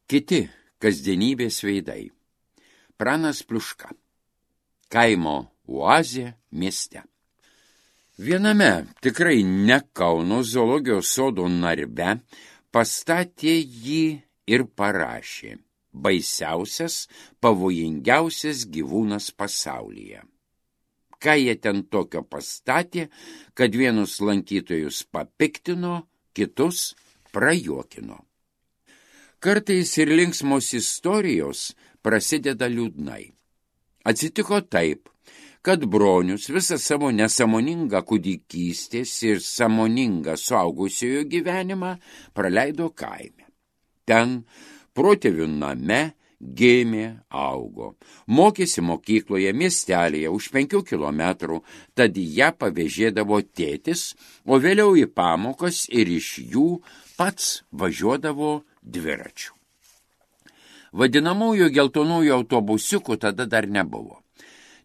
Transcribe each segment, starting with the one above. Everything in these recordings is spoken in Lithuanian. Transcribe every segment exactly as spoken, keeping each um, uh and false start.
Kiti kasdienybės veidai. Pranas Pliuška. Kaimo oazė mieste. Viename tikrai ne Kauno zoologijos sodo narve pastatė jį ir parašė: baisiausias, pavojingiausias gyvūnas pasaulyje. Ką jie ten tokio pastatė, kad vienus lankytojus papiktino, kitus prajuokino. Kartais ir linksmos istorijos prasideda liūdnai. Atsitiko taip, kad Bronius visą savo nesąmoningą kūdikystės ir sąmoningą suaugusiojo gyvenimą praleido kaime. Ten, protėvių name, gimė, augo. Mokėsi mokykloje miestelėje už penkių kilometrų, tad ją pavėžėdavo tėtis, o vėliau į pamokas ir iš jų pats važiuodavo dviračių. Vadinamųjų geltonųjų autobusiukų tada dar nebuvo.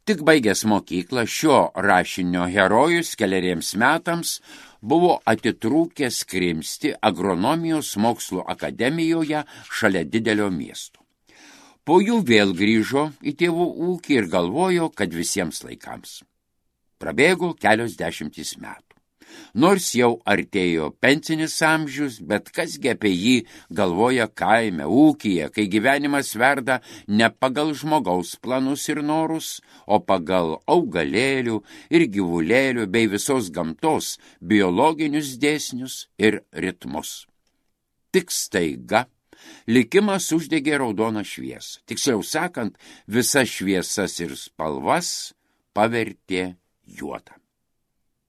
Tik baigęs mokyklą, šio rašinio herojus keleriems metams buvo atitrūkęs krimsti agronomijos mokslo akademijoje šalia didelio miesto. Po jų vėl grįžo į tėvų ūkį ir galvojo, kad visiems laikams. Prabėgo kelios dešimtys metų. Nors jau artėjo pensinis amžius, bet kasgi apie jį galvoja kaime, ūkyje, kai gyvenimas verda ne pagal žmogaus planus ir norus, o pagal augalėlių ir gyvulėlių bei visos gamtos biologinius dėsnius ir ritmus. Tik staiga likimas uždegė raudoną šviesą. Tiksliau sakant, visas šviesas ir spalvas pavertė juodą.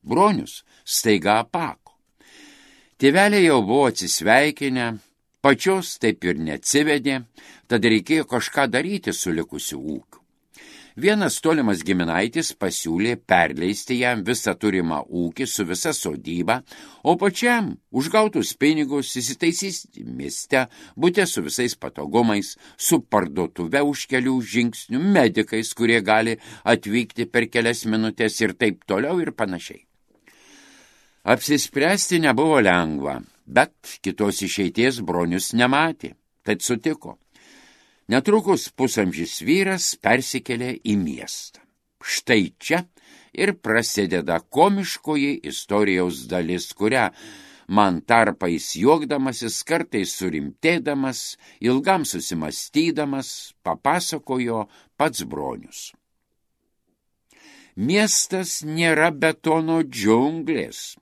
Bronius staiga apako. Tėveliai jau buvo atsisveikinę, pačios taip ir neatsivedė, tad reikėjo kažką daryti su likusiu ūkiu. Vienas tolimas giminaitis pasiūlė perleisti jam visą turimą ūkį su visa sodyba, o pačiam už gautus pinigus įsitaisys mieste, bute su visais patogumais, su parduotuve už kelių žingsnių, medikais, kurie gali atvykti per kelias minutės ir taip toliau ir panašiai. Apsispręsti nebuvo lengva, bet kitos išeities Bronius nematė, tad sutiko. Netrukus pusamžis vyras persikėlė į miestą. Štai čia ir prasideda komiškoji istorijos dalis, kurią man tarpais juokdamasis, kartais surimtėdamas, ilgam susimastydamas, papasakojo pats Bronius. Miestas nėra betono džiunglės.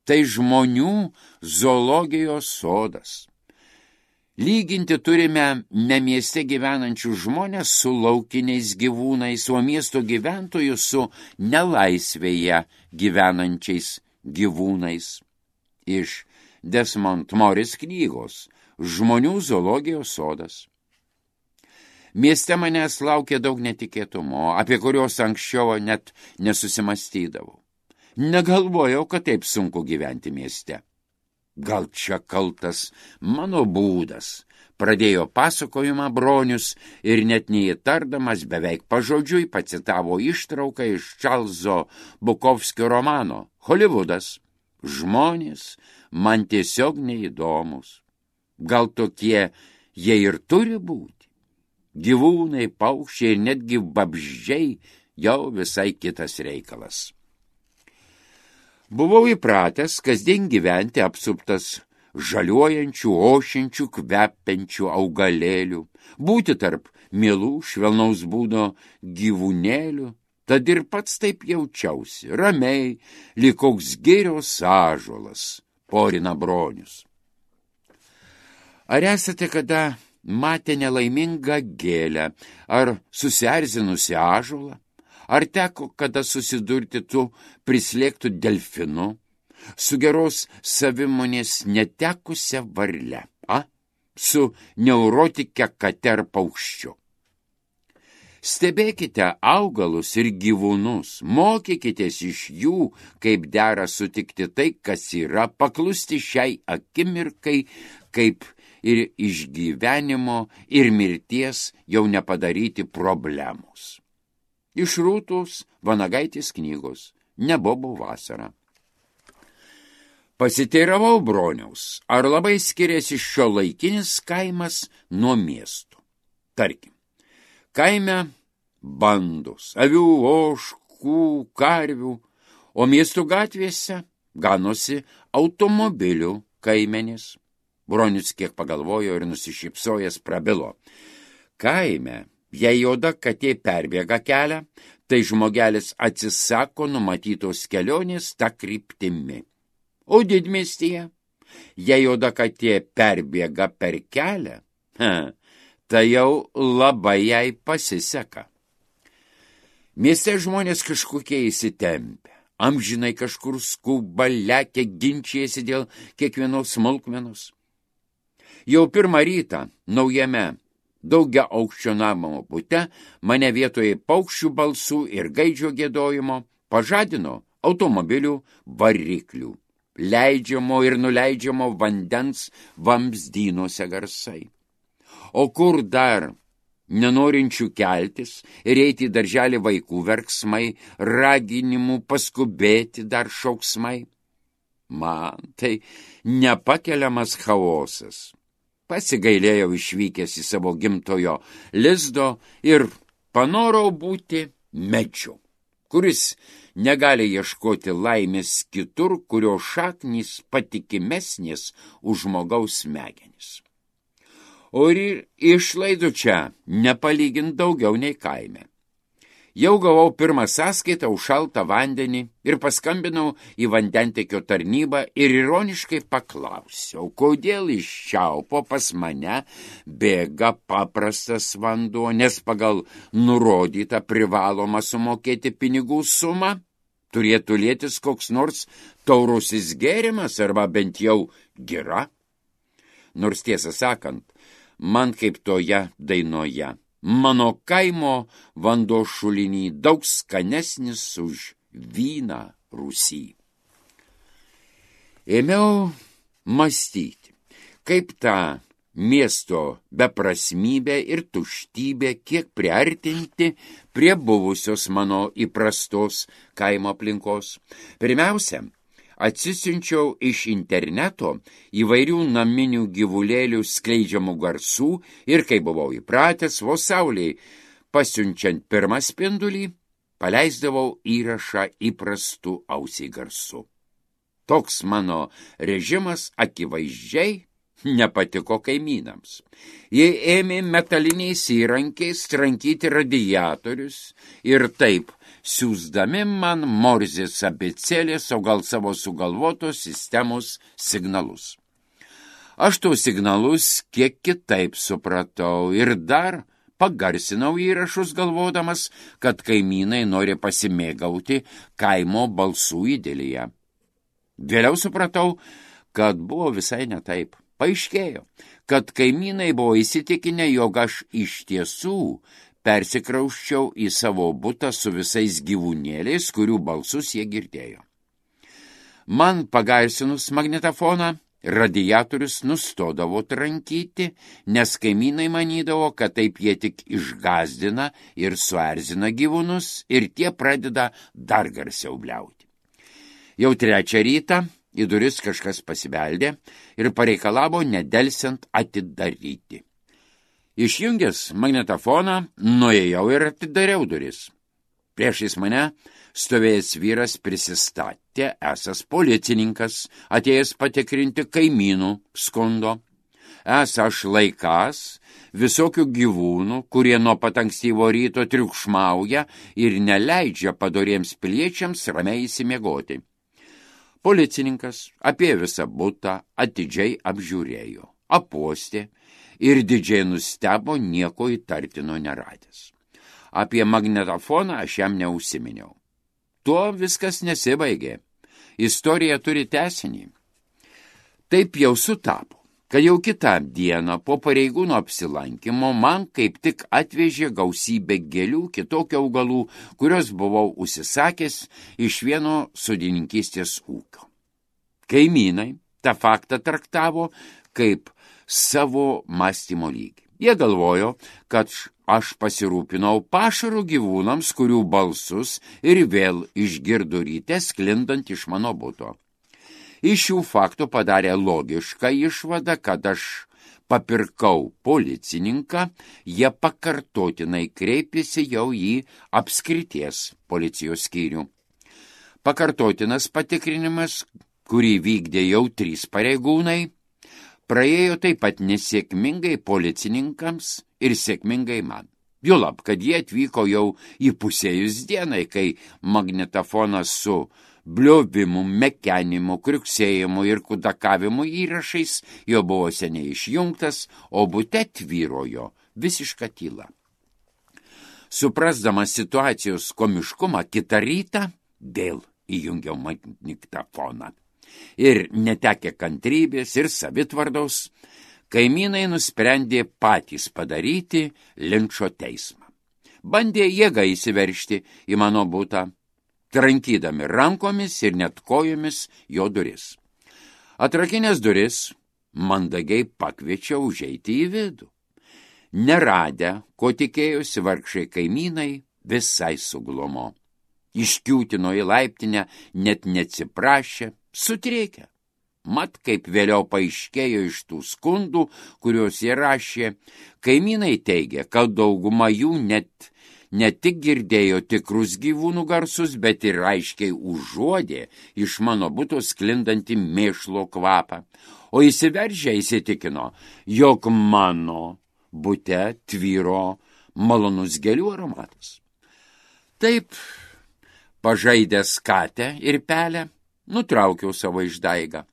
Tai žmonių zoologijos sodas. Lyginti turime ne mieste gyvenančių žmonės su laukiniais gyvūnais, o miesto gyventojų su nelaisvėje gyvenančiais gyvūnais. Iš Desmond Morris knygos Žmonių zoologijos sodas. Mieste manęs laukė daug netikėtumo, apie kurios anksčiau net nesusimastydavau. Negalvojau, kad taip sunku gyventi mieste. Gal čia kaltas mano būdas, pradėjo pasakojimą Bronius ir net neįtardamas beveik pažodžiui pacitavo ištrauką iš Čarlzo Bukovskio romano Holivudas. Žmonės man tiesiog neįdomus. Gal tokie jie ir turi būti? Gyvūnai, paukščiai ir netgi vabzdžiai jau visai kitas reikalas. Buvau įpratęs kasdien gyventi apsuptas žaliuojančių, ošiančių, kvepiančių augalėlių, būti tarp mielų švelnaus būdo gyvūnėlių, tad ir pats taip jaučiausi, ramiai, lyg koks girios ąžuolas, porina Bronius. Ar esate kada matę nelaimingą gėlę ar susierzinusi ąžuolą? Ar teko kada susidurti tu prislėgtų delfinu, su geros savimonės netekusia varle, a? Su neurotike kate ar paukščiu? Stebėkite augalus ir gyvūnus, mokykitės iš jų, kaip dera sutikti tai, kas yra, paklusti šiai akimirkai, kaip ir iš gyvenimo ir mirties jau nepadaryti problemos. Iš Rūtos Vanagaitės knygos Nebobų vasara. Pasiteiravau broniaus, ar labai skiriasi šiuolaikinis kaimas nuo miestų. Tarkim, kaime bandos, avių, ožkų, karvių, o miestų gatvėse ganosi automobilių kaimenės. Bronius kiek pagalvojo ir nusišypsojęs prabilo. Kaime, jei juoda katė perbėga kelią, tai žmogelis atsisako numatytos kelionės tą kryptimi. O didmiestyje, jei juoda katė perbėga per kelią, he, tai jau labai jai pasiseka. Mieste žmonės kažkokie įsitempę, amžinai kažkur skuba, lekia, ginčijasi dėl kiekvienos smulkmenos. Jau pirmą rytą naujame daugia aukščio namo bute mane vietoje paukščių balsų ir gaidžio giedojimo pažadino automobilių variklių, leidžiamo ir nuleidžiamo vandens vamzdynuose garsai. O kur dar nenorinčių keltis ir eiti į darželį vaikų verksmai, raginimų paskubėti dar šauksmai? Man tai nepakeliamas chaosas. Pasigailėjau išvykęs į savo gimtojo lizdo ir panorau būti medžiu, kuris negali ieškoti laimės kitur, kurio šaknys patikimesnės už žmogaus smegenis. O ir išlaidų čia nepalygint daugiau nei kaime. Jau gavau pirmą sąskaitą už šaltą vandenį ir paskambinau į vandentekio tarnybą ir ironiškai paklausiau, kodėl iš čiaupo pas mane bėga paprastas vanduo, nes pagal nurodytą privalomą sumokėti pinigų sumą turėtų lietis koks nors taurusis gėrimas arba bent jau gira. Nors tiesą sakant, man kaip toje dainoje. Mano kaimo vanduo šulinį daug skanesnis už vyną Rūsy. Ėmiau mąstyti, kaip tą miesto beprasmybę ir tuštybę kiek priartinti prie buvusios mano įprastos kaimo aplinkos. Pirmiausia, atsisiunčiau iš interneto įvairių naminių gyvulėlių skleidžiamų garsų ir, kai buvau įpratęs, vos saulei pasiunčiant pirmą spindulį, paleisdavau įrašą įprastų ausiai garsu. Toks mano režimas akivaizdžiai nepatiko kaimynams. Jie ėmė metaliniais įrankiais trankyti radiatorius ir taip siųsdami man morzės abėcėlės, o gal savo sugalvotos sistemos signalus. Aš tos signalus kiek kitaip supratau ir dar pagarsinau įrašus galvodamas, kad kaimynai nori pasimėgauti kaimo balsų idilėje. Vėliau supratau, kad buvo visai ne taip. Paaiškėjo, kad kaimynai buvo įsitikinę, jog aš iš tiesų persikrausčiau į savo butą su visais gyvūnėliais, kurių balsus jie girdėjo. Man pagarsinus magnetofoną, radiatorius nustodavo trankyti, nes kaimynai manydavo, kad taip jie tik išgazdina ir suerzina gyvūnus ir tie pradeda dar garsiau bliauti. Jau trečią rytą į duris kažkas pasibeldė ir pareikalavo nedelsiant atidaryti. Išjungęs magnetofoną, nuėjau ir atidariau duris. Priešais mane stovėjęs vyras prisistatė, esas policininkas, atėjęs patikrinti kaimynų skundo. Esą aš laikas visokių gyvūnų, kurie nuo pat ankstyvo ryto triukšmauja ir neleidžia padoriems piliečiams ramiai įsimiegoti. Policininkas apie visą butą atidžiai apžiūrėjo, apostė ir didžiai nustebo nieko įtartino neradęs. Apie magnetofoną aš jam neužsiminiau. Tuo viskas nesibaigė. Istorija turi tęsinį. Taip jau sutapo, kad jau kitą dieną po pareigūno apsilankymo man kaip tik atvežė gausybę gėlių, kitokių augalų, kurios buvau užsisakęs iš vieno sodininkystės ūkio. Kaimynai tą faktą traktavo kaip savo mąstymo lygį. Jie galvojo, kad aš pasirūpinau pašarų gyvūnams, kurių balsus ir vėl išgirdo ryte sklindant iš mano buto. Iš šių faktų padarė logišką išvadą, kad aš papirkau policininką, jie pakartotinai kreipėsi jau į apskrities policijos skyrių. Pakartotinas patikrinimas, kurį vykdė jau trys pareigūnai, praėjo taip pat nesėkmingai policininkams ir sėkmingai man. Juolab, kad jie atvyko jau įpusėjus dienai, kai magnetofonas su bliovimu, mekenimu, kriuksėjimu ir kudakavimu įrašais jo buvo seniai išjungtas, o bute tvyrojo visiška tyla. Suprasdamas situacijos komiškumą, kitą rytą vėl įjungiau magnetofoną. Ir netekę kantrybės ir savitvardos, kaimynai nusprendė patys padaryti linčo teismą. Bandė jėga įsiveržti į mano butą, trankydami rankomis ir net kojomis jo duris. Atrakinęs duris, mandagiai pakviečiau užeiti į vidų. Neradę, ko tikėjosi vargšai kaimynai, visai suglumo. Iškiūtino į laiptinę, net neatsiprašė, sutrėkė. Mat, kaip vėliau paaiškėjo iš tų skundų, kuriuos jie rašė, kaimynai teigia, kad dauguma jų net ne tik girdėjo tikrus gyvūnų garsus, bet ir aiškiai užuodė iš mano buto sklindantį mėšlo kvapą, o įsiveržę įsitikino, jog mano bute tvyro malonus gėlių aromatas. Taip, pažaidęs katę ir pelę, nutraukiau savo išdaigą.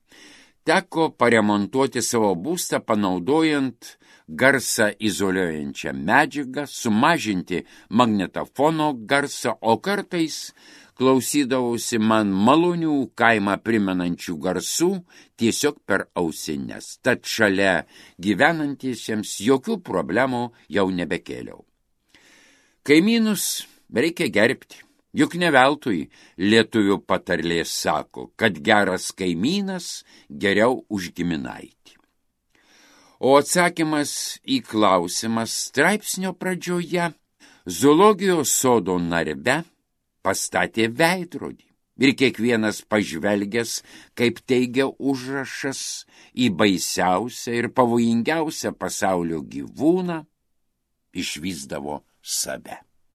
Teko paremontuoti savo būstą, panaudojant garsą izoliuojančią medžiagą, sumažinti magnetofono garsą, o kartais klausydavausi man malonių kaimą primenančių garsų tiesiog per ausines. Tad šalia gyvenantiesiems jokių problemų jau nebekėliau. Kaimynus reikia gerbti. Juk ne veltui lietuvių patarlė sako, kad geras kaimynas geriau už giminaitį. O atsakymas į klausimą straipsnio pradžioje zoologijos sodo narve pastatė veidrodį. Ir kiekvienas pažvelgęs, kaip teigia užrašas, į baisiausią ir pavojingiausią pasaulio gyvūną, išvysdavo save.